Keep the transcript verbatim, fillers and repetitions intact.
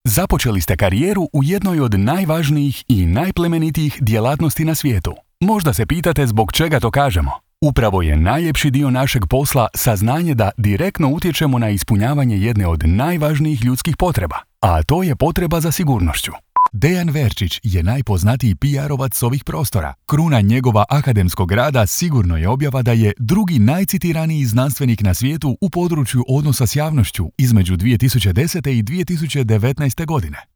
Započeli ste karijeru u jednoj od najvažnijih i najplemenitijih djelatnosti na svijetu. Možda se pitate zbog čega to kažemo. Upravo je najljepši dio našeg posla saznanje da direktno utječemo na ispunjavanje jedne od najvažnijih ljudskih potreba, a to je potreba za sigurnošću. Dejan Verčić je najpoznatiji P R-ovac s ovih prostora. Kruna njegova akademskog rada sigurno je objava da je drugi najcitiraniji znanstvenik na svijetu u području odnosa s javnošću između dvije tisuće desete i dvije tisuće devetnaeste godine.